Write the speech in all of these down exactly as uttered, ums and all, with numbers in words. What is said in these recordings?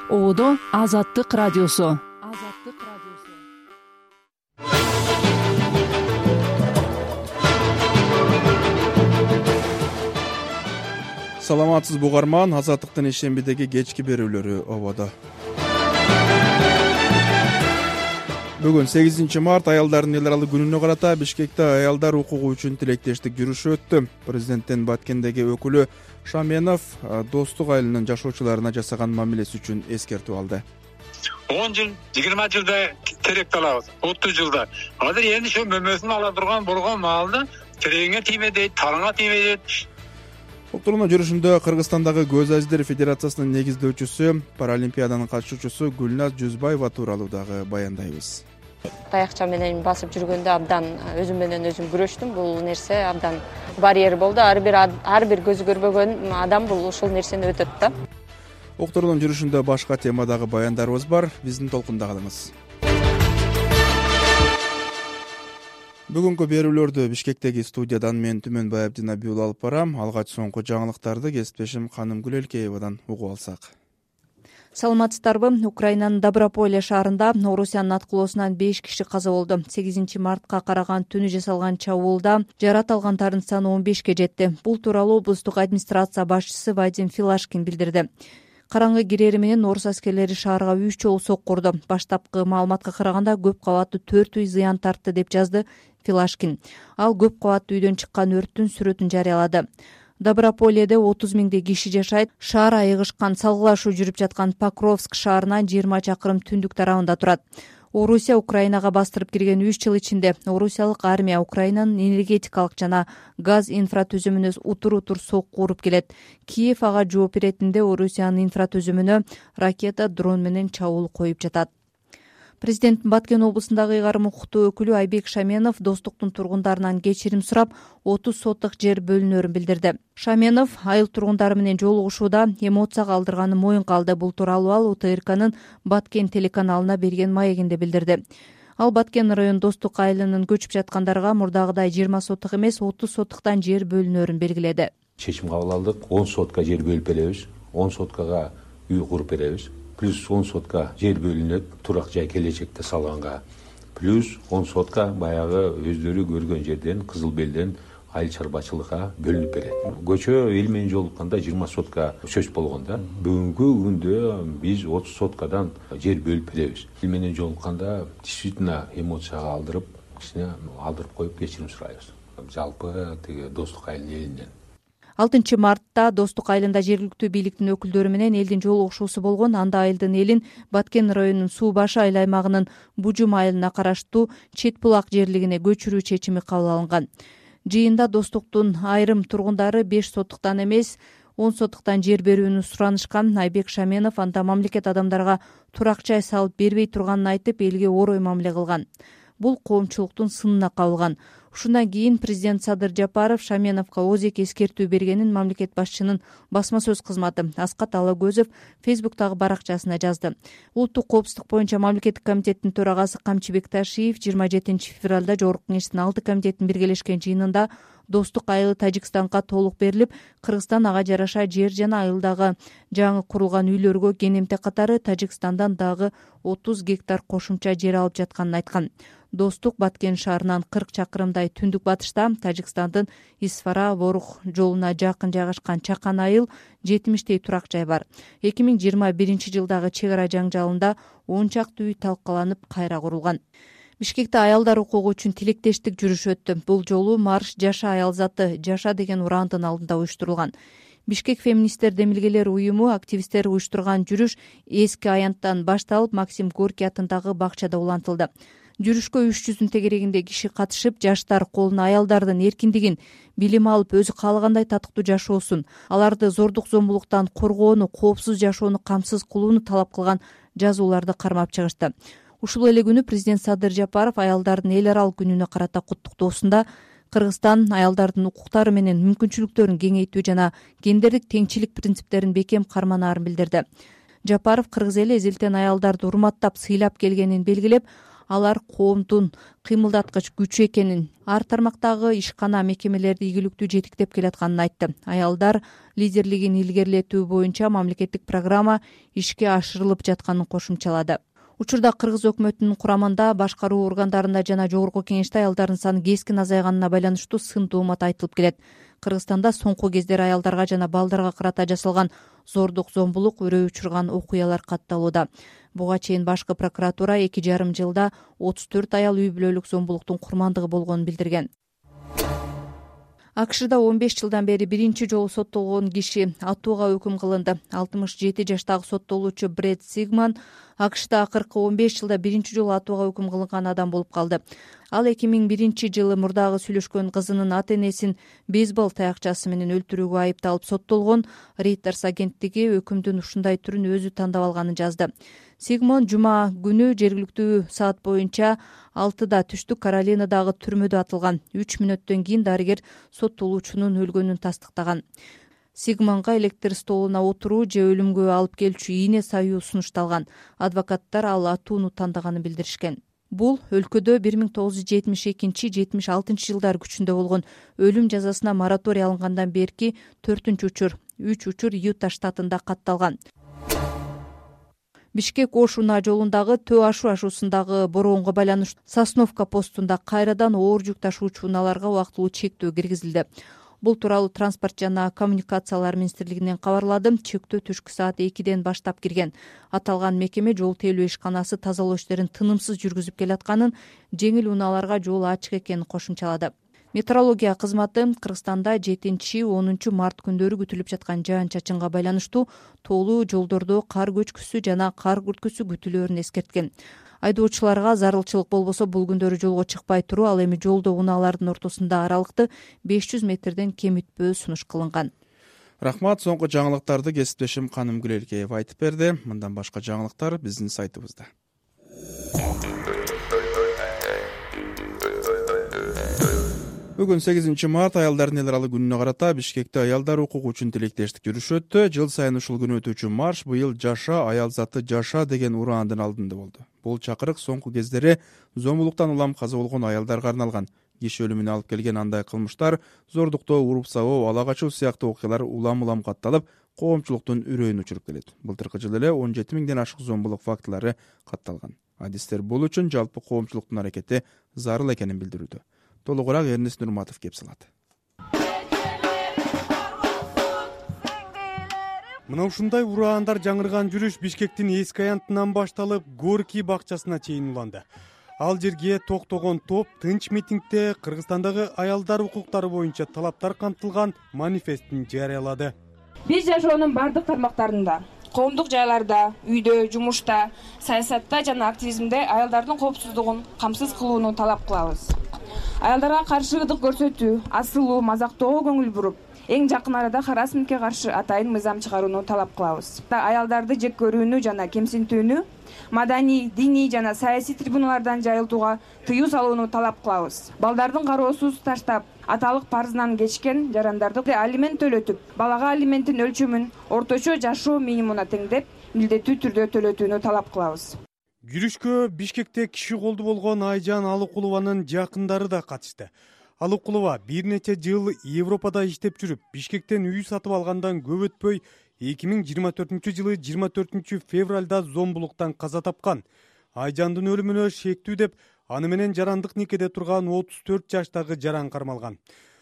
Оодо Азаттык радиосу. Саламатсыз бугарман, Азаттыктын ишембидеги кечки берүүлөрү ободо. Бүгүн сегизинчи март аялдардын эл аралык күнүнө карата Бишкекте аялдар укугу үчүн тилектештик жүрүшү өттү. Президенттин Баткендеги өкүлү Шаменов достук айылынын жашоочуларына жасаган мамилеси үчүн эскертүү алды. он жыл, жыйырма жылда терек алабыз, отуз жылда. Азыр эми ошо мөмөсүн ала турган болгон маалда терегиңе тийме дейт, тарыңа тийме дейт. Уктуруу жүрүшүндө Кыргызстандагы Көз Аждер Федерациясынын негиздөөчүсү, Паралимпиаданын катышуучусу Гүлназ Жүзбаева тууралуу дагы баяндайбыз. Таякча менен басып жүргөндө абдан өзүм менен өзүм күрөштүм. Бул нерсе абдан барьер болду. Ар бир ар бир көзү көрбөгөн адам бул ушул нерсени өтөт да. Уктуруунун жүрүшүндө башка темадагы баяндарыбыз бар. Биздин толкунда калыңыз. Бүгүнкү берүүлөрдү Бишкектеги студиядан мен Түмөнбай Абдинабиул алып барам. Алгач соңку жаңылыктарды кесиптешим Канымгүл Элкеевадан угуп алсак. Саламатсыздарбы? Украинанын Доброполе шаарында Орусиянын аткылоосунан беш киши каза болду. сегизинчи мартка караган түнү жасалган чабуулда жарат алгандардын саны он бешке жетти. Бул тууралуу облустук администрация башчысы Вадим Филашкин билдирди. Караңгы кирери менен орус аскерлери шаарга үч жолу сокку урду. Баштапкы маалыматка караганда көп кабаттуу төрт үй зыян тартты деп жазды Филашкин. Ал көп кабаттуу үйдөн чыккан өрттүн сүрөтүн жарыялады. Доброполеде отуз миңдей киши жашайт. Шаар айыгышкан, салгылашуу жүрүп жаткан Покровск шаарынан жыйырма чакырым түндүк тарабында турат. Орусия Украинага бастырып кирген үч жыл ичинде орусиялык армия Украинанын энергетикалык жана газ инфратүзүмүнө утур-утур сокку уруп келет. Киев ага жооп беретинде Орусиянын инфратүзүмүнө ракета, дрон менен чабуул коюп жатат. Президенттин Баткен облусундагы ыйгарым укуктуу өкүлү Айбек Шаменов достуктун тургундарынан кечирим сурап, отуз соттук жер бөлүнөрүн билдирди. Шаменов айыл тургундары менен жолугушууда эмоцияга алдырганын моюнга алды. Бул тууралуу ал УТРКнын Баткен телеканалына берген маегинде билдирди. Ал Баткен район достук айылынын көчүп жаткандарга мурдагыдай жыйырма соттук эмес, отуз соттуктан жер бөлүнөрүн белгиледи. Чечим кабыл алдык. он сотка жер бөлүп беребиз. он соткага үй куруп беребиз. Плюс он сотка жер бөлүнөт турак жай келечекте салганга. Плюс он сотка баягы өздөрү көргөн жерден, Кызыл Белден айыл чарбачылыкка бөлүнүп берет. Көчө эл менен жолукканда жыйырма сотка сөз болгон да. Бүгүнкү күндө биз отуз соткадан жер бөлүп беребиз. Эл менен жолукканда действительно эмоцияга алдырып, кичине алдырып коюп кечирим сурайбыз. Жалпы тиги достук айылдын элинен. алтынчы мартта достук айылында жергиликтүү бийликтин өкүлдөрү менен элдин жолугушуусу болгон. Анда айылдын элин Баткен районунун Суу башы айыл аймагынын Бужум айылына караштуу Чет булак жерлигине көчүрүү чечими кабыл алынган. Жыйында достуктун айрым тургундары беш соттуктан эмес, он соттуктан жер берүүнү суранышкан. Айбек Шаменов анда мамлекет адамдарга турак жай салып бербей турганын айтып, элге орой мамиле кылган. Бул коомчулуктун сынына кабылган. Ушундан кийин президент Садыр Жапаров Шаменовго озек эскертүү бергенин мамлекет башчынын басма сөз кызматы Аскат Алагөзов Фейсбуктагы баракчасына жазды. Улуттук коопсуздук боюнча мамлекеттик комитеттин төрагасы Камчыбек Ташиев жыйырма жетинчи февралда Жогорку Кеңештин алты комитетинин биргелешкен жыйынында достук айылы Тажикстанга толук берилип, Кыргызстан ага жараша жер жана айылдагы жаңы курулган үйлөргө кенемтек катары Тажикстандан дагы отуз гектар кошумча жер алып жатканын айткан. Достук Баткен шаарынан кырк чакырымдай түндүк батышта Тажикстандын Исфара-Ворух жолуна жакын жайгашкан Чакан айыл жетимиштей турак жай бар. эки миң жыйырма биринчи жылдагы чек ара жаңжалында он чакты үй талкаланып кайра курулган. Бишкекте аялдар укугу үчүн тилектештик жүрүш өттү. Бул жолу марш Жаша аял заты, Жаша деген урандын алдында уюштурулган. Бишкек феминисттер демилгелер уюму активисттери уюштурган жүрүш эски аянттан башталып, Максим Горький атындагы бакчада улантылды. Жүрүшкө үч жүздүн тегерегинде киши катышып, жаштар колуна аялдардын эркиндигин, билим алып, өзү каалагандай татыктуу жашоосун, аларды зордук зомбулуктан коргоону, коопсуз жашоону камсыз кылууну талап кылган жазууларды кармап чыгышты. Ушул эле күнү президент Садыр Жапаров аялдардын эл аралык күнүнө карата куттуктоосунда Кыргызстан аялдардын укуктары менен мүмкүнчүлүктөрүн кеңейтүү жана гендердик теңчилик принциптерин бекем карманаарын билдирди. Жапаров кыргыз эли эзелтен аялдарды урматтап, сыйлап келгенин белгилеп, алар коомдун кыймылдаткыч күчү экенин, ар тармактагы ишкана мекемелерди ийгиликтүү жетектеп келатканын айтты. Аялдар лидерлигин илгерилетүү боюнча мамлекеттик программа ишке ашырылып жатканын кошумчалады. Учурда Кыргыз өкмөтүнүн курамында башкаруу органдарында жана жогорку кеңеште аялдардын саны кескин азайганына байланыштуу сын тоомат айтылып келет. Кыргызстанда соңку кездери аялдарга жана балдарга карата жасалган зордук, зомбулук, үрөй учурган окуялар катталууда. Буга чейин башкы прокуратура эки жарым жылда отуз төрт аял үй бүлөлүк зомбулуктун курмандыгы болгонун билдирген. АКШда он беш жылдан бери биринчи жолу соттолгон киши атууга өкүм кылынды. алтымыш жети жаштагы соттолуучу Брэд Сигман АКШда акыркы он беш жылда биринчи жолу атууга өкүм кылынган адам болуп калды. Ал эки миң биринчи жылы мурдагы сүйлөшкөн кызынын ата-энесин бейсбол таякчасы менен өлтүрүүгө айыпталып соттолгон. Reuters агенттиги өкүмдүн ушундай түрүн өзү тандап алганын жазды. Сигмон жума күнү жергиликтүү саат боюнча алтыда түштүк Каролинадагы түрмөдө атылган. үч мүнөттөн кийин дарыгер соттолуучунун өлгөнүн тастыктаган. Сигмонго электр столуна отуруу же өлүмгө алып келчү ийне саюу сунушталган. Адвокаттар ал атууну тандаганын билдиришкен. Бул өлкөдө бир миң тогуз жүз жетимиш экинчи жетимиш алтынчы жылдары күчүндө болгон өлүм жазасына мораторий алынгандан берки төртүнчү учур. үч учур Юта штатында катталган. Бишкек-Ош унаа жолундагы Төө-Ашу ашуусундагы бороонго байланыштуу Сосновка постунда кайрадан оор жүк ташуучу унааларга убактылуу чектөө киргизилди. Бул тууралуу Транспорт жана коммуникациялар министрлигинен кабарлады. Чектөө түшкү саат экиден баштап кирген. Аталган мекеме жол тейлөө ишканасы тазалоо иштерин тынымсыз жүргүзүп келатканын, жеңил унааларга жол ачык экенин кошумчалады. Метеорология кызматы Кыргызстанда жетинчи онунчу март күндөрү күтүлүп жаткан жаан-чачынга байланыштуу тоолуу жолдордо кар көчкүсү жана кар күрткүсү күтүлөөрүн эскерткен. Айдоочуларга зарылчылык болбосо бул күндөрү жолго чыкпай туруу, ал эми жолдо унаалардын ортосунда аралыкты беш жүз метрден кем өтпөө сунуш кылынган. Рахмат, соңку жаңылыктарды кесиптешим Каным Гүлелкеев айтып берди. Мындан башка жаңылыктар биздин сайтыбызда. Бүгүн сегизинчи март аялдардын эл аралык күнүнө карата Бишкекте аялдар укугу үчүн тилектештик жүрүшү өттү. Жыл сайын ушул күнү өтүүчү марш быйыл «Жаша, аял заты жаша» деген ураандын алдында болду. Бул чакырык соңку кездери зомбулуктан улам каза болгон аялдарга арналган. Киши өлүмүнө алып келген андай кылмыштар, зордуктоо, уруп сабоо, ала качуу сыяктуу окуялар улам-улам катталып, коомчулуктун үрөйүн учуруп келет. Былтыркы жылы эле он жети миңден ашык зомбулук фактылары катталган. Адистер бул үчүн жалпы коомчулуктун аракети зарыл экенин билдирүүдө. Толугураак Эрнис Нурматов кеп салат. Мына ушундай ураандар жаңырган жүрүш Бишкектин эски аянтынан башталып, Горький бакчасына чейин уланды. Ал жерге токтогон топ тынч митингде Кыргызстандагы аялдар укуктары боюнча талаптар камтылган манифестин жарыялады. Биз жашоонун бардык тармактарында, коомдук жайларда, үйдө, жумушта, саясатта жана активизмде аялдардын коопсуздугун камсыз кылууну талап кылабыз. Аялдарга каршы ырдык көрсөтүү, асылуу, мазактоого көңүл буруп, эң жакын арада харассментке каршы атайын мыйзам чыгарууну талап кылабыз. Аялдарды жек көрүүнү жана кемсинтүүнү маданий, диний жана саясий трибуналардан жайылтууга тыюу салууну талап кылабыз. Балдардын кароосуз таштап, аталык парызынан кечкен жарандарды алимент төлөтүп, балага алименттин өлчөмүн орточо жашоо минимумуна теңдеп, милдеттүү түрдө төлөтүүнү талап кылабыз. Жүрүшкө Бишкекте киши колду болгон Айжан Алыкулованын жакындары да катышты. Алыкулова бир нече жыл Европада иштеп жүрүп, Бишкектен үй сатып алгандан көп өтпөй эки миң жыйырма төртүнчү жылы жыйырма төртүнчү февралда зомбулуктан каза тапкан. Айжандын өлүмүнө шектүү деп аны менен жарандык никеде турган отуз төрт жаштагы жаран кармалган.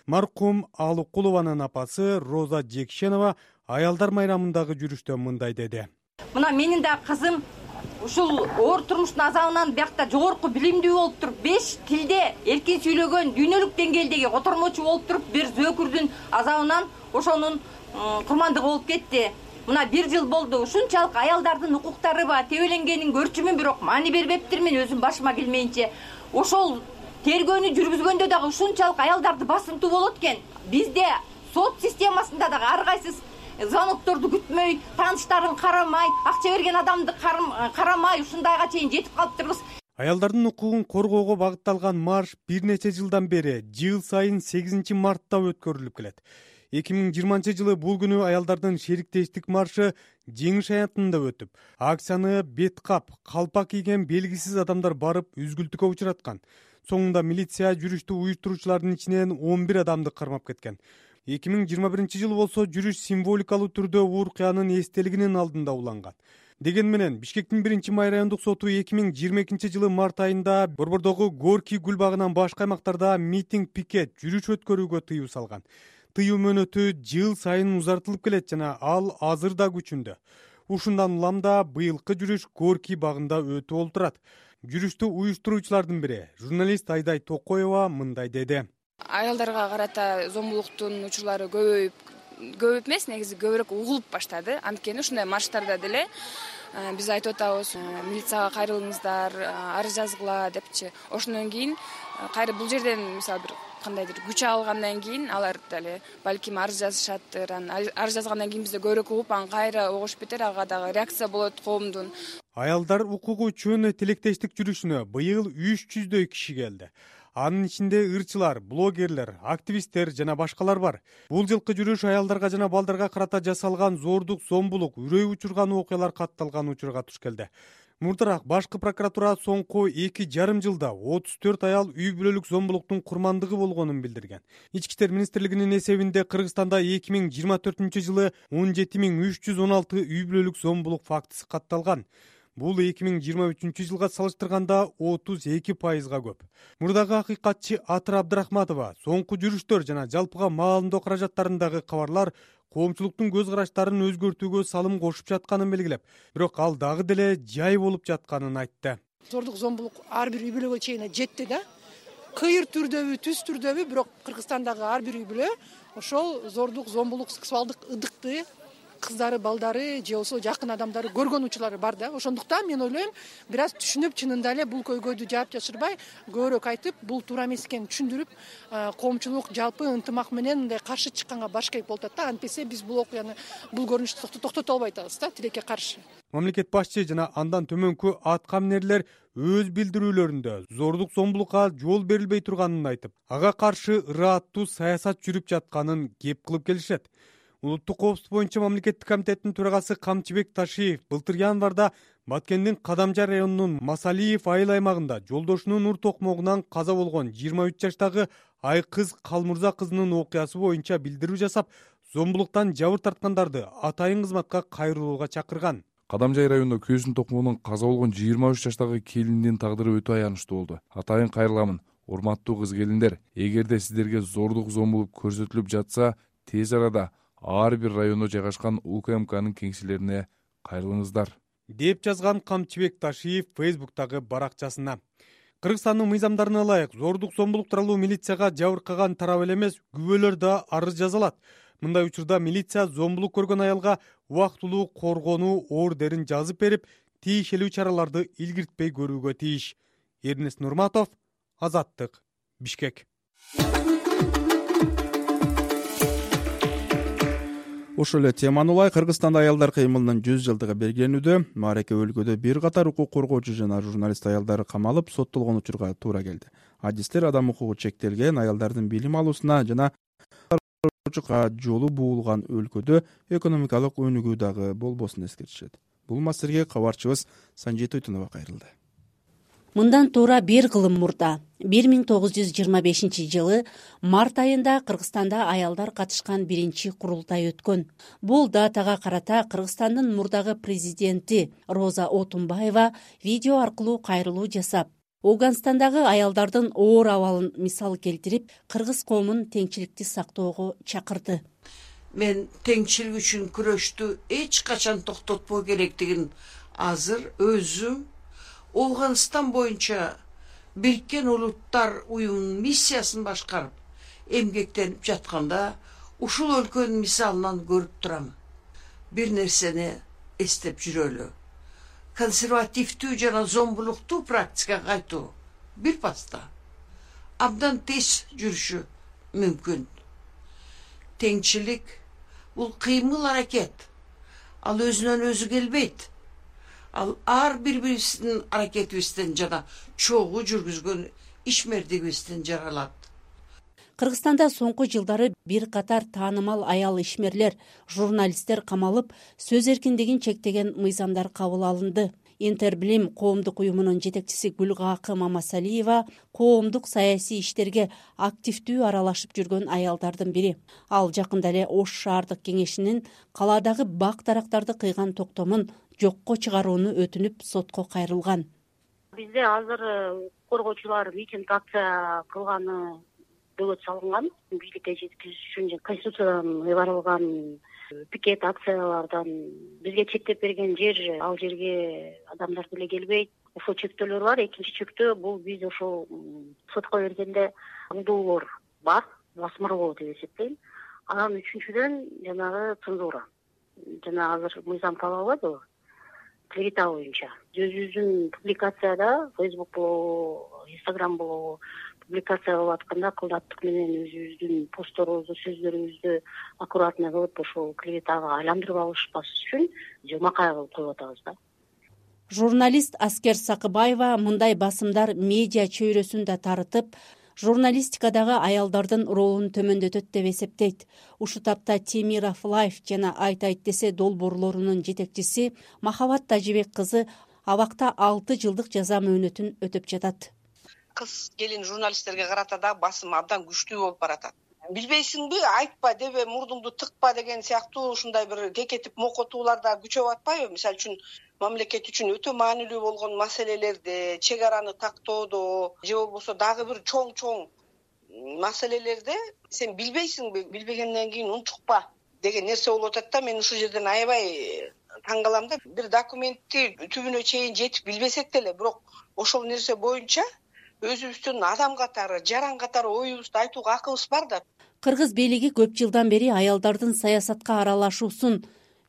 Маркум Алыкулованын апасы Роза Жекшенова аялдар майрамындагы жүрүштө мындай деди. Мына менин да кызым ушул оор турмуштун азабынан биякта жогорку билимдүү болуп туруп, беш тилде эркин сүйлөгөн, дүйнөлүк деңгээлдеги котормочу болуп туруп, бир зөөкүрдүн азабынан ошонун курмандыгы болуп кетти. Мына бир жыл болду. Ушунчалык аялдардын укуктары ба тебеленгенин көрчүмүн, бирок маани бербептирмин өзүм башыма келмейинче. Ошол тергөөнү жүргүзгөндө дагы ушунчалык аялдарды басымтуу болот экен. Бизде сот системасында дагы ар кайсы звонокторду күтмөй, тааныштарын карамай, акча берген адамды карамай, ушундайга чейин жетип калыптырбыз. Аялдардын укугун коргоого багытталган марш бир нече жылдан бери жыл сайын сегизинчи мартта өткөрүлүп келет. эки миң жыйырманчы жылы бул күнү аялдардын шериктештик маршы жеңиш аянтында өтүп, акцияны бет кап, калпак кийген белгисиз адамдар барып үзгүлтүккө учураткан. Соңунда милиция жүрүштү уюштуруучулардын ичинен он бир адамды кармап кеткен. эки миң жыйырма биринчи жылы болсо жүрүш символикалуу түрдө уур кыянын эстелигинин алдында уланган. Деген менен Бишкектин биринчи май райондук соту эки миң жыйырма экинчи жылы март айында Борбордогу Горький гүл багынан башка аймактарда митинг, пикет, жүрүш өткөрүүгө тыюу салган. Тыюу мөөнөтү жыл сайын узартылып келет жана ал азыр да күчүндө. Ушундан улам да быйылкы жүрүш Горький багында өтүп болуп турат. Жүрүштү уюштуруучулардын бири, журналист Айдай Токоева мындай деди. Аялдарга карата зомбулуктун учурлары көбөйүп, көбөйүп эмес, негизи көбүрөөк угулуп баштады. Анткени ушундай марштарда деле биз айтып атабыз, милицияга кайрылыңыздар, арыз жазгыла депчи. Ошондон кийин кайра бул жерден мисалы бир кандайдыр күч алгандан кийин алар деле балким арыз жазышаттыр. Арыз жазгандан кийин бизде көбүрөөк угуп, аны кайра огуш бетер, ага дагы реакция болот коомдун. Аялдар укугу үчүн тилектештик жүрүшүнө быйыл үч жүздөй киши келди. Анын ичинде ырчылар, блогерлер, активисттер жана башкалар бар. Бул жылкы жүрүш аялдарга жана балдарга карата жасалган зордук, зомбулук, үрөй учурган окуялар катталган учурга туш келди. Мурдараак башкы прокуратура соңку эки жарым жылда отуз төрт аял үй бүлөлүк зомбулуктун курмандыгы болгонун билдирген. Ички иштер министрлигинин эсебинде Кыргызстанда эки миң жыйырма төртүнчү жылы он жети миң үч жүз он алты үй бүлөлүк зомбулук фактысы катталган. Бул эки миң жыйырма үчүнчү жылга салыштырганда отуз эки пайызга көп. Мурдагы акыйкатчы Атыр Абдрахматова соңку жүрүштөр жана жалпыга маалымдоо каражаттарындагы кабарлар коомчулуктун көз караштарын өзгөртүүгө салым кошуп жатканын белгилеп, бирок ал дагы деле жай болуп жатканын айтты. Зордук, зомбулук ар бир үй бүлөгө чейин жетти да. Кыйыр түрдөбү, түз түрдөбү, бирок Кыргызстандагы ар бир үй бүлө ошол зордук, зомбулук, сексуалдык ыдыкты кыздары, балдары же болбосо жакын адамдары көргөн учурлары бар да. Ошондуктан мен ойлойм, бир аз түшүнүп, чынында эле бул көйгөйдү жаап жашырбай, көбүрөөк айтып, бул туура эмес экенин түшүндүрүп, коомчулук жалпы ынтымак менен мындай каршы чыкканга баш кейип болот да. Антпесе биз бул окуяны, бул көрүнүштү токтото албай атабыз да, тилекке каршы. Мамлекет башчы жана андан төмөнкү аткаминерлер өз билдирүүлөрүндө зордук, зомбулукка жол берилбей турганын айтып, ага каршы ырааттуу саясат жүрүп жатканын кеп кылып келишет. Улуттук коопсуздук боюнча мамлекеттик комитеттин төрагасы Камчыбек Ташиев былтыр январда Баткендин Кадамжар районунун Масалиев айыл аймагында жолдошунун ур токмогунан каза болгон жыйырма үч жаштагы Айкыз Калмурза кызынын окуясы боюнча билдирүү жасап, зомбулуктан жабыр тарткандарды атайын кызматка кайрылууга чакырган. Кадамжай районунда күйөөсүнүн токмогунан каза болгон жыйырма үч жаштагы келиндин тагдыры өтө аянычтуу болду. Атайын кайрыламын, урматтуу кыз келиндер, эгерде сиздерге зордук, зомбулук көрсөтүлүп жатса, тез арада ар бир райондо жайгашкан У К М Кнын кеңселерине кайрылыңыздар, деп жазган Камчыбек Ташиев Фейсбуктагы баракчасына. Кыргызстандын мыйзамдарына ылайык зордук, зомбулук тууралуу милицияга жабыркаган тарап эле эмес, күбөлөр да арыз жаза алат. Мындай учурда милиция зомбулук көргөн аялга убактылуу коргонуу ордерин жазып берип, тийиштүү чараларды илгиртпей көрүүгө тийиш. Эрнест Нурматов, Азаттык, Бишкек. Ошол эле теманы улай Кыргызстанда аялдар кыймылынын жүз жылдыгы белгиленүүдө. Маареке өлкөдө бир катар укук коргоочу жана журналист аялдар камалып, соттолгон учурга туура келди. Адистер адам укугу чектелген аялдардын билим алуусуна жана жолу буулган өлкөдө экономикалык өнүгүү дагы болбосун эскертишет. Бул маселеге кабарчыбыз Санжит Тойтунова кайрылды. Мындан туура бир кылым мурда бир миң тогуз жүз жыйырма бешинчи жылы март айында Кыргызстанда аялдар катышкан биринчи курултай өткөн. Бул датага карата Кыргызстандын мурдагы президенти Роза Отунбаева видео аркылуу кайрылуу жасап, Ауганстандагы аялдардын оор абалын мисал келтирип, кыргыз коомун теңчиликти сактоого чакырды. Мен теңчилик үчүн күрөштү эч качан токтотпоо керектигин азыр өзүм Ауганстан боюнча Бириккен Улуттар уюмунун миссиясын башкарып, эмгектенип жатканда ушул өлкөнүн мисалынан көрүп турам. Бир нерсени эстеп жүрөлү. Консервативдүү жана зомбулуктуу практикага кайтуу бир паста абдан тез жүрүшү мүмкүн. Теңчилик бул кыймыл аракет. Ал өзүнөн өзү келбейт. Ал ар бири-бирибиздин аракетибизден жана чогуу жүргүзгөн ишмердигибизден жаралат. Кыргызстанда соңку жылдары бир катар таанымал аял ишмерлер, журналисттер камалып, сөз эркиндигин чектеген мыйзамдар кабыл алынды. Интербилим коомдук уюмунун жетекчиси Гүлгакы Мамасалиева коомдук саясий иштерге активдүү аралашып жүргөн аялдардын бири. Ал жакында эле Ош шаардык кеңешинин калаадагы бак дарактарды кыйган токтомун жокко чыгарууну өтүнүп сотко кайрылган. Бизде азыр коргоочулар митинг акция кылганы бөгөт салынган, бийликке жеткизиш үчүн конституциядан ыйгарылган пикет акциялардан бизге чектеп берген жер, ал жерге адамдар деле келбейт. Ошол чектөөлөр бар. Экинчи чектөө бул биз ошол сотко бергенде алдоолор бар, басмыр болот деп эсептейм. Анан үчүнчүдөн жанагы цензура. Жана азыр мыйзам талап албайбы? Клевета боюнча өзүбүздүн публикацияда Facebook болобу, Instagram болобу публикация кылып атканда кылдаттык менен өзүбүздүн постторубузду, сөздөрүбүздү аккуратно кылып ошол клеветага айландырып алышпас үчүн жумакай кылып коюп атабыз да. Журналист Аскер Сакыбаева мындай басымдар медиа чөйрөсүн да тарытып, журналистикадагы аялдардын ролун төмөндөтөт деп эсептейт. Ушул тапта Темиров Лайф жана Айт айт десе долбоорлорунун жетекчиси Махабат Тажибек кызы абакта алты жылдык жаза мөөнөтүн өтөп жатат. Кыз келин журналисттерге карата да басым абдан күчтүү болуп баратат. Билбейсиңби, айтпа дебе, мурдуңду тыкпа деген сыяктуу ушундай бир кекетип мокотуулар да күчөп атпайбы? Мисалы үчүн мамлекет үчүн өтө маанилүү болгон маселелерде, чек араны тактоодо же болбосо дагы бир чоң-чоң маселелерде сен билбейсиңби, билбегенден кийин унчукпа деген нерсе болуп атат да. Мен ушул жерден аябай таң калам да. Бир документти түбүнө чейин жетип билбесек деле, бирок ошол нерсе боюнча өзүбүздүн адам катары, жаран катары оюбузду айтууга акыбыз бар да. Кыргыз бийлиги көп жылдан бери аялдардын саясатка аралашуусун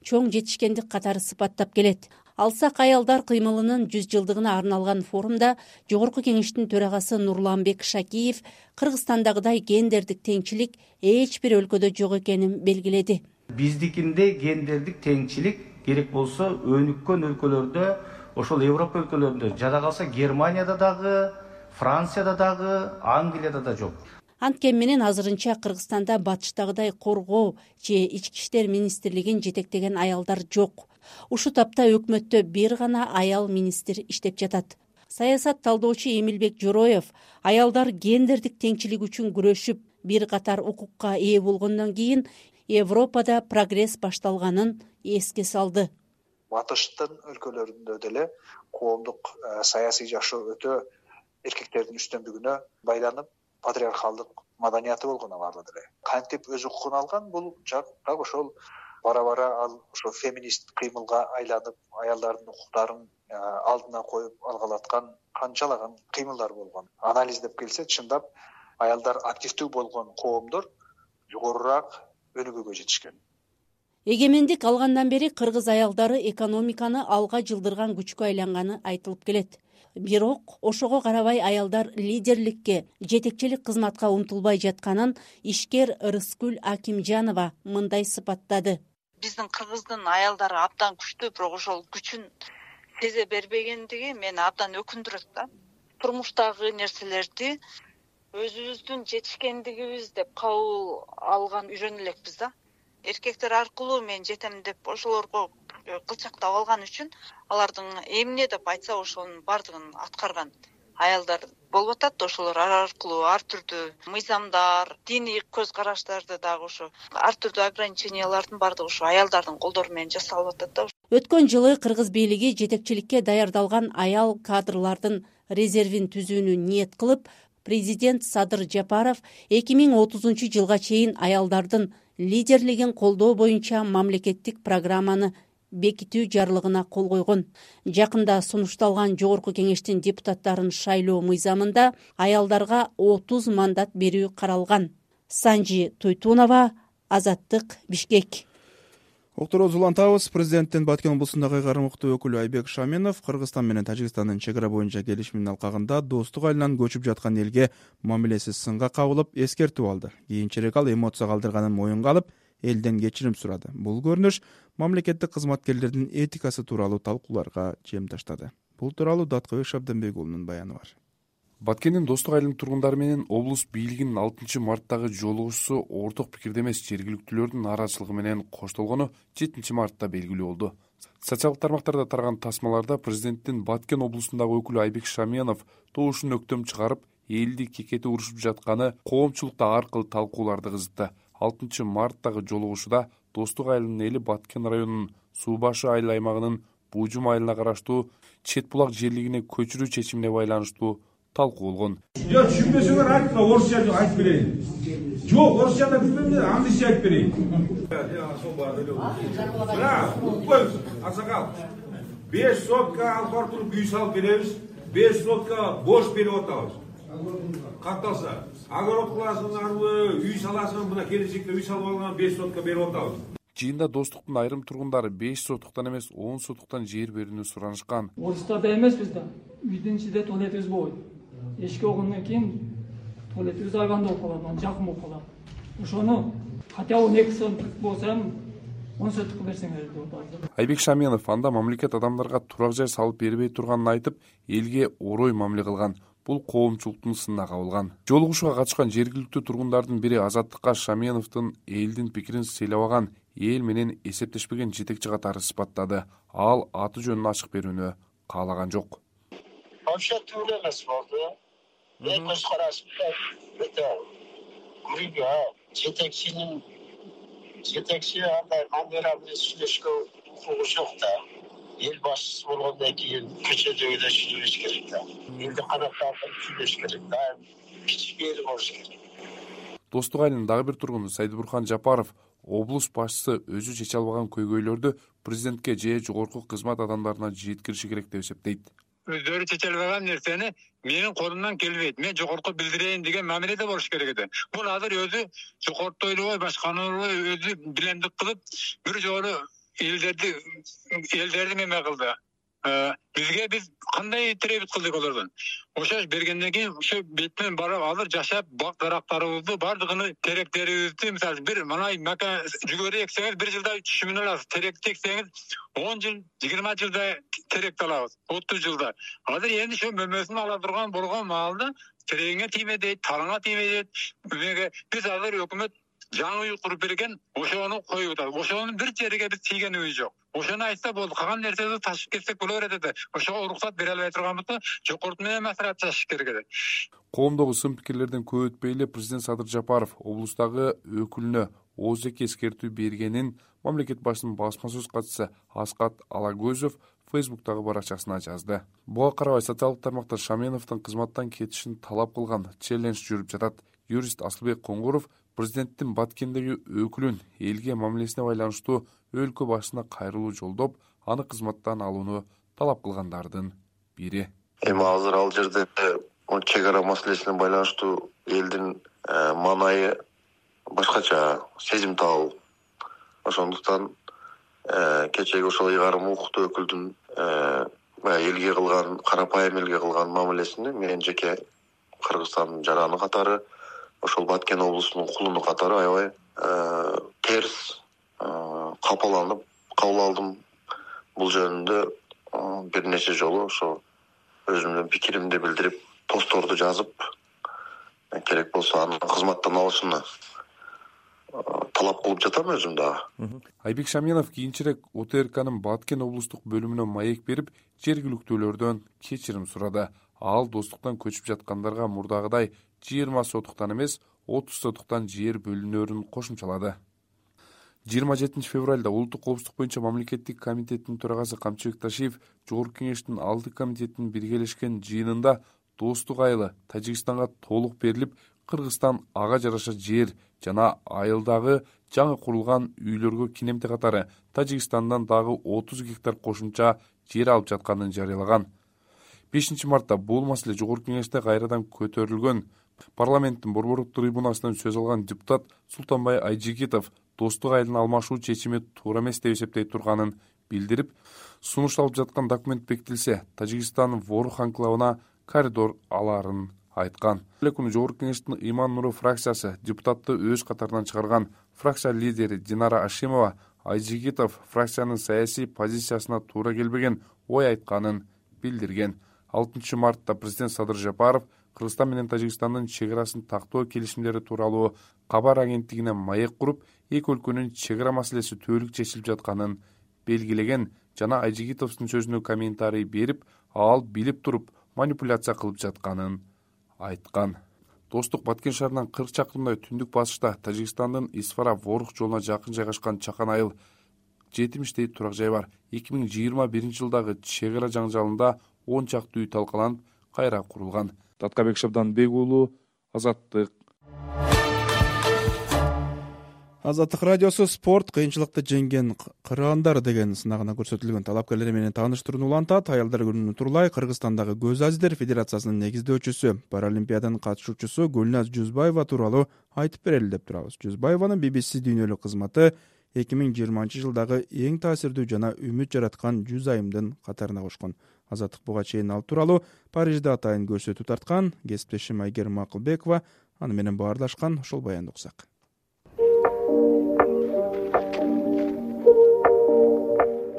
чоң жетишкендик катары сыпаттап келет. Алсак аялдар кыймылынын жүз жылдыгына арналган форумда Жогорку кеңештин төрагасы Нурланбек Шакиев Кыргызстандагыдай гендердик теңчилик эч бир өлкөдө жок экенин белгиледи. Биздикинде гендердик теңчилик керек болсо өнүккөн өлкөлөрдө, ошол Европа өлкөлөрүндө, жада калса Германияда дагы, Францияда дагы, Англияда да жок. Анткени менен азырынча Кыргызстанда батыштагыдай коргоо же ички иштер министрлигин жетектеген аялдар жок. Ушул тапта өкмөттө бир гана аял министр иштеп жатат. Саясат талдоочу Эмилбек Жороев аялдар гендердик теңчилик үчүн күрөшүп, бир катар укукка ээ болгондон кийин Европада прогресс башталганын эске салды. Батыштын өлкөлөрүндө деле коомдук саясий жашоо өтө эркектердин үстөмдүгүнө байланып, патриархалдык маданияты болгон аларда деле. Кантип өз укугун алган, бул жак ошол бара-бара ал ошо феминист кыймылга айланып, аялдардын укуктарын алдына коюп алгалаткан канчалаган кыймылдар болгон. Анализдеп келсе, чындап аялдар активдүү болгон коомдор жогорураак өнүгүүгө жетишкен. Эгемендик алгандан бери кыргыз аялдары экономиканы алга жылдырган күчкө айланганы айтылып келет. Бирок ошого карабай аялдар лидерликке, жетекчилик кызматка умтулбай жатканын ишкер Рыскүл Акимжанова мындай сыпаттады. Биздин кыргыздын аялдары абдан күчтүү, бирок ошол күчүн сезе бербегендиги мени абдан өкүндүрөт да. Турмуштагы нерселерди өзүбүздүн жетишкендигибиз деп кабыл алган үйрөнө элекпиз да. Эркектер аркылуу мен жетем деп ошолорго кылчактап алган үчүн алардын эмне деп айтса ошонун бардыгын аткарган аялдар болуп атат. Ошолор аркылуу ар түрдүү мыйзамдар, диний көз караштарды дагы ошо ар түрдүү ограничениялардын бардыгы ошо аялдардын колдору менен жасалып атат да. Өткөн жылы кыргыз бийлиги жетекчиликке даярдалган аял кадрлардын резервин түзүүнү ниет кылып, президент Садыр Жапаров эки миң отузунчу жылга чейин аялдардын лидерлигин колдоо боюнча мамлекеттик программаны бекитүү жарлыгына кол койгон. Жакында сунушталган Жогорку кеңештин депутаттарын шайлоо мыйзамында аялдарга отуз мандат берүү каралган. Санжи Туйтунова, Азаттык, Бишкек. Окторобуз улантабыз. Президенттин Баткен облусундагы кармыктуу өкүлү Айбек Шаменов Кыргызстан менен Тажикстандын чек ара боюнча келишимин алкагында достук айылынан көчүп жаткан элге мамилеси сынга кабылып эскертүү алды. Кийинчерээк ал эмоция калтырганын моюнга алып, элден кечирим сурады. Бул көрүнүш мамлекеттик кызматкерлердин этикасы тууралуу талкууларга чем таштады. Бул тууралуу Даткыбек Шабданбек уулунун баяны бар. Баткендин Достук айылынын тургундары менен облус бийлигинин алтынчы марттагы жолугушуусу орток пикирде эмес жергиликтүүлөрдүн нааразычылыгы менен коштолгону жетинчи мартта белгилүү болду. Социалдык тармактарда тараган тасмаларда президенттин Баткен облусундагы өкүлү Айбек Шаменов добушун өктөм чыгарып, элди кекети урушуп жатканы коомчулукта ар кыл талкууларды кызытты. алтынчы марттагы жолугушууда Достук айылынын эли Баткен районунун Суу башы айыл аймагынын Бужум айылына караштуу Чет булак жерлигине көчүрүү чечимине байланыштуу талкуу болгон. Жок, түшүнбөсөңөр айтпа, орусча айтып берейин. Жок, орусчада билбейм, англисче айтып берейин. Мына, укпойбуз, аксакал. беш сотка алып туруп үй салып беребиз, беш сотка бош берип атабыз. Катталса, огород кыласыңарбы, үй саласың, мына келечекте үй салып алган беш сотка берип атабыз. Жыйында Достуктун айрым тургундары беш сотуктан эмес он сотуктан жер берүүнү суранышкан. Орустарда эмеспиз да. Үйдүн ичинде туалетибиз болбойт. Эшикке болгондон кийин туалетибиз айванда болуп калат, анан жакын болуп калат. Ошону хотя он эки сотук болсо эми он сотукка берсеңер деп атат. Айбек Шаменов анда мамлекет адамдарга турак жай салып бербей турганын айтып, элге орой мамиле кылган. Бул коомчулуктун сынына кабылган. Жолугушууга катышкан жергиликтүү тургундардын бири Азаттыкка Шаменовдун элдин пикирин сыйлабаган, эл менен эсептешпеген жетекчи катары сыпаттады. Ал аты жөнүн ачык берүүнү каалаган жок. Вообще түгүл эмес болду. Мен көз карашым өтө күрүгө жетекчинин жетекчи андай камера менен сүйлөшкө укугу жок да. Эл башчысы болгондон кийин көчөдөгү да сүйлөш керек да. Элди канаттап сүйлөш керек да. Кичине болуш керек. Достук айылынын дагы бир тургуну Сайдыбурхан Жапаров облус башчысы өзү чече албаган көйгөйлөрдү президентке же жогорку кызмат адамдарына жеткириши керек деп эсептейт. Өздөрү чече албаган нерсени менин колумдан келбейт, мен жогорку билдирейин деген мамиледе болуш керек экен. Бул азыр өзү жогорутойлубой, башканыбы өзү билемдик кылып, бир жолу элдерди элдерди неме кылды. Бизге биз кандай требит кылдык олордон. Ошо бергенден кийин ушу беттен барып алып жашап, бак дарактарыбызды бардыгын теректерибизди, мисалы бир манай мака жүгөрү эксеңиз бир жылда үч жүз миң аласыз. Теректи эксеңиз он жыл, жыйырма жылда теректи алабыз. отуз жылда. Азыр энди ошо мөмөсүн ала турган болгон маалда терегиңе тийме дейт, тарыңа тийме дейт. Биз азыр өкмөт жаңы үй куруп берген, ошону коюп атат. Ошонун бир жериге биз тийгенибиз жок. Ошону айтса болду, калган нерсени ташып кетсек боло берет эди. Ошого уруксат бере албай турганбызда, жогорку менен маслихат чачыш керек эди. Коомдогу сын пикирлерден көп өтпөй эле президент Садыр Жапаров облустагы өкүлүнө ооздек эскертүү бергенин мамлекет башчысынын басма сөз катчысы Аскат Алагөзов Фейсбуктагы баракчасына жазды. Буга карабай социалдык тармакта Шаменовдун кызматтан кетишин талап кылган челлендж жүрүп жатат. Юрист Асылбек Коңгуров президенттин Баткендеги өкүлүн элге мамилесине байланыштуу өлкө башчысына кайрылуу жолдоп, аны кызматтан алууну талап кылгандардын бири. Эми азыр ал жерде чек ара маселесине байланыштуу элдин маанайы башкача, сезимтал. Ошондуктан кечеги ошол ыйгарым укуктуу өкүлдүн элге кылган, карапайым элге кылган мамилесини мен жеке Кыргызстандын жараны катары, ошол Баткен облусунун кулуну катары аябай терс капаланып кабыл алдым. Бул жөнүндө бир нече жолу ошо өзүмдүн пикиримди билдирип, постторду жазып, керек болсо аны кызматтан алышыны талап кылып жатам өзүм дагы. Айбек Шаменов кийинчерээк О Т Р К'нын Баткен облустук бөлүмүнө маек берип, жергиликтүүлөрдөн кечирим сурады. Ал достуктан көчүп жаткандарга мурдагыдай жыйырма сотуктан эмес, отуз сотуктан жер бөлүнөрүн кошумчалады. жыйырма жетинчи февралда улуттук коопсуздук боюнча мамлекеттик комитеттин төрагасы Камчыбек Ташиев Жогорку Кеңештин алты комитетинин биргелешкен жыйынында Достук айылы Тажикстанга толук берилип, Кыргызстан ага жараша жер жана айылдагы жаңы курулган үйлөргө кинемте катары Тажикстандан дагы отуз гектар кошумча жер алып жатканын жарыялаган. бешинчи мартта бул маселе Жогорку Кеңеште кайрадан көтөрүлгөн. Парламенттин борбордук трибунасынан сөз алган депутат Султанбай Айжигитов Достук айылын алмашуу чечими туура эмес деп эсептей турганын билдирип, сунушталып жаткан документ бекитилсе, Тажикстан Ворух анклавына коридор алаарын айткан. Эле күнү Жогорку Кеңештин Иман Нуру фракциясы депутатты өз катарынан чыгарган. Фракция лидери Динара Ашимова Айжигитов фракциянын саясий позициясына туура келбеген ой айтканын билдирген. алтынчы мартта президент Садыр Жапаров Кыргызстан менен Тажикстандын чек арасын тактоо келишимдери тууралуу кабар агенттигине маек куруп, эки өлкөнүн чек ара маселеси түбөлүк чечилип жатканын белгилеген жана Айжигитовдун сөзүнө комментарий берип, ал билип туруп манипуляция кылып жатканын айткан. Достук Баткен шаарынан кырк чакырымдай түндүк басышта Тажикстандын Исфара Ворух жолуна жакын жайгашкан Чакан айыл жетимиштей турак жай бар. эки миң жыйырма биринчи жылдагы чек ара жаңжалында он чакты үй талкаланып, кайра курулган. Таткабек Шабданбек уулу, Азаттык. Азаттык радиосу спорт кыйынчылыкты жеңген кыргыздар деген сынагына көрсөтүлгөн талапкерлер менен тааныштырууну улантат. Аялдар күнүнүн турулай Кыргызстандагы Көз Азиздер Федерациясынын негиздөөчүсү, Паралимпиаданын катышуучусу Гүлназ Жүзбаева тууралуу айтып берели деп турабыз. Жүзбаеванын би би си дүйнөлүк кызматы эки миң жыйырманчы жылдагы эң таасирдүү жана үмүт жараткан жүз айымдын катарына кошкон. Азаттык буга чейин ал тууралуу Парижде атайын көрсөтүү тарткан. Кесиптешим Айгерим Акылбекова аны менен баардашкан, ошол баянды уксак.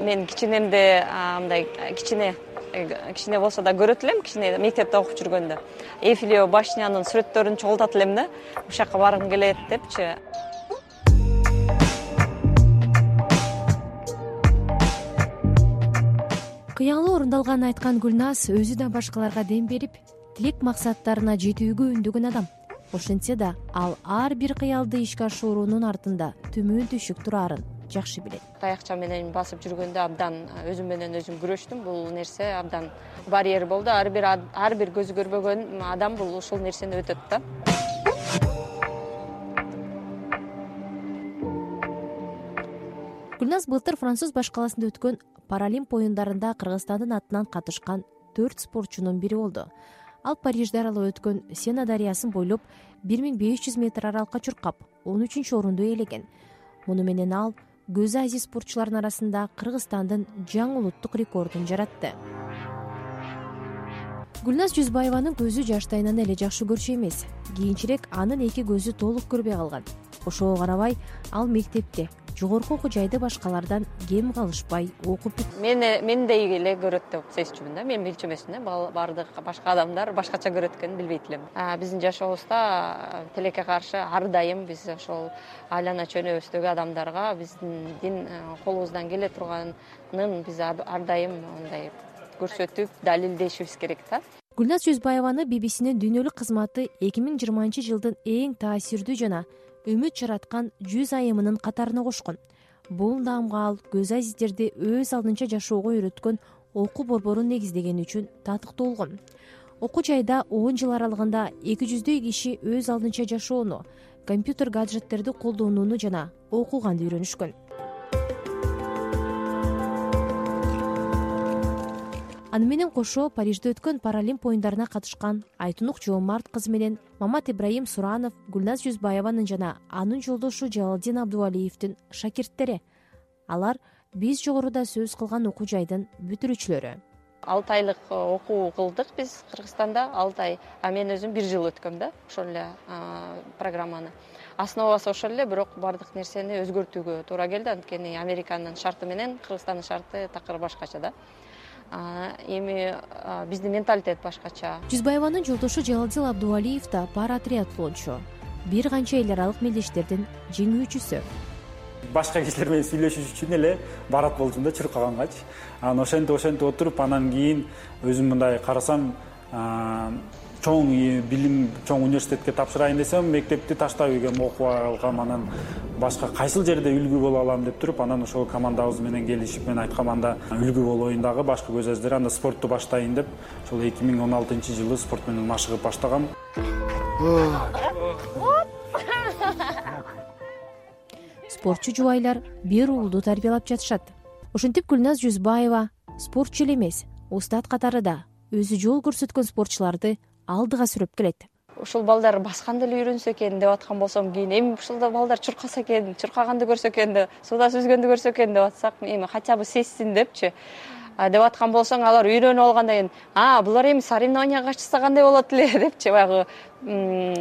Мен кичинемде мындай кичине кичине болсо да көрөт элем, кичине мектепте окуп жүргөндө. Эйфелева башнянын сүрөттөрүн чогултат элем да, ушул жака баргым келет депчи. Кыялы орундалганын айткан Гүлназ өзү да башкаларга дем берип, тилек максаттарына жетүүгө үндөгөн адам. Ошентсе да, ал ар бир кыялды ишке ашыруунун артында төмөн түшүк турарын жакшы билет. Таякча менен басып жүргөндө абдан өзүм менен өзүм күрөштүм. Бул нерсе абдан барьер болду. Ар бир ар бир көзү көрбөгөн адам бул ушул нерсени өтөт да. Гүлназ былтыр Француз баш каласында өткөн Паралимп оюндарында Кыргызстандын атынан катышкан төрт спортчунун бири болду. Ал Парижде аралап өткөн Сена дарыясын бойлоп бир миң беш жүз метр аралыкка чуркап, он үчүнчү орунду ээлеген. Муну менен ал көзү азиз спортчулардын арасында Кыргызстандын жаңы улуттук рекордун жаратты. Гүлназ Жүзбаеванын көзү жаштайынан эле жакшы көрчү эмес. Кийинчерээк анын эки көзү толук көрбөй калган. Ошого карабай, ал мектепте жогорку окуу жайды башкалардан кем калышпай окуп бүт. Мени мендей эле көрөт деп сезчүмүн да. Мен билчү эмесмин да. Бардык башка адамдар башкача көрөт экенин билбейт элем. Биздин жашообузда тилекке каршы ар дайым биз ошол айлана чөнөбүздөгү адамдарга биздин дин колубуздан келе турганын биз ар дайым мындай көрсөтүп, далилдешибиз керек да. Гүлназ Жүзбаеваны би би синин дүйнөлүк кызматы эки миң жыйырманчы жылдын эң таасирдүү жана үмүт жараткан жүз айымынын катарына кошкон. Бул наамга ал көз азиздерди өз алдынча жашоого үйрөткөн окуу борборун негиздегени үчүн татыктуу болгон. Окуу жайда он жыл аралыгында эки жүздөй киши өз алдынча жашоону, компьютер гаджеттерди колдонууну жана окуганды үйрөнүшкөн. Аны менен кошо Парижде өткөн Паралимп оюндарына катышкан Айтунук Жоомарт кызы менен Мамат Ибраим Суранов Гүлназ Жүзбаеванын жана анын жолдошу Жалалдин Абдувалиевдин шакирттери. Алар биз жогоруда сөз кылган окуу жайдын бүтүрүүчүлөрү. алты айлык окуу кылдык биз Кыргызстанда, алты ай. А мен өзүм бир жыл өткөм да, ошол эле программаны. Основасы ошол эле, бирок бардык нерсени өзгөртүүгө туура келди. Анткени Американын шарты менен Кыргызстандын шарты такыр башкача да. Эми биздин менталитет башкача. Жүзбаеванын жолдошу Жалалдин Абдувалиев да пара триатлончу. Бир канча эл аралык мелдештердин жеңүүчүсү. Башка кишилер менен сүйлөшүш үчүн эле барат болчумун да чуркагангач. Анан ошентип ошентип отуруп анан кийин өзүм мындай карасам, чоң билим, чоң университетке тапшырайын десем, мектепти таштап үйгөм, окуп алгам. Анан башка кайсыл жерде үлгү боло алам деп туруп, анан ошол командабыз менен келишип, мен айткам, анда үлгү болоюн дагы башка көз азиздер, анда спортту баштайын деп, ошол эки миң он алтынчы жылы спорт менен машыгып баштагам. Спортчу жубайлар бир уулду тарбиялап жатышат. Ошентип Гүлназ Жүзбаева спортчу эле эмес, устат катары да өзү жол көрсөткөн спортчуларды алдыга сүрөп келет. Ушул балдар басканды эле үйрөнсө экен деп аткан болсом, кийин эми ушулда балдар чуркаса экен, чуркаганды көрсө экен деп, суда сүзгөндү көрсө экен деп атсак, эми хотя бы сезсин депчи деп аткан болсоң, алар үйрөнүп алгандан кийин, а, булар эми соревнованияга катышса кандай болот эле депчи баягы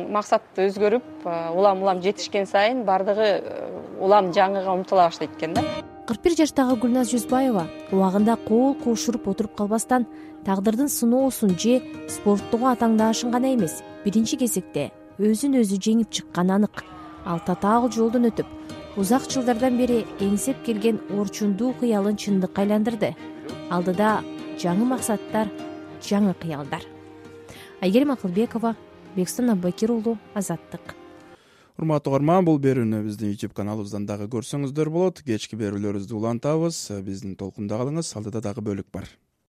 максатты өзгөрүп, улам-улам жетишкен сайын бардыгы улам жаңыга умтула баштайт экен да. кырк бир жаштагы Гүлназ Жүзбаева убагында кол кошуруп отуруп калбастан тагдырдын сыноосун же спорттогу атаңдаашын гана эмес, биринчи кезекте өзүн өзү жеңип чыкканы анык. Ал татаал жолдон өтүп, узак жылдардан бери эңсеп келген орчундуу кыялын чындыкка айландырды. Алдыда жаңы максаттар, жаңы кыялдар. Айгерим Акылбекова, Бекстан Аббакир уулу, Азаттык. Урматтуу угарман, бул берүүнү биздин YouTube каналыбыздан дагы көрсөңүздөр болот. Кечки берүүлөрүбүздү улантабыз. Биздин толкунда калыңыз. Алдыда дагы бөлүк бар.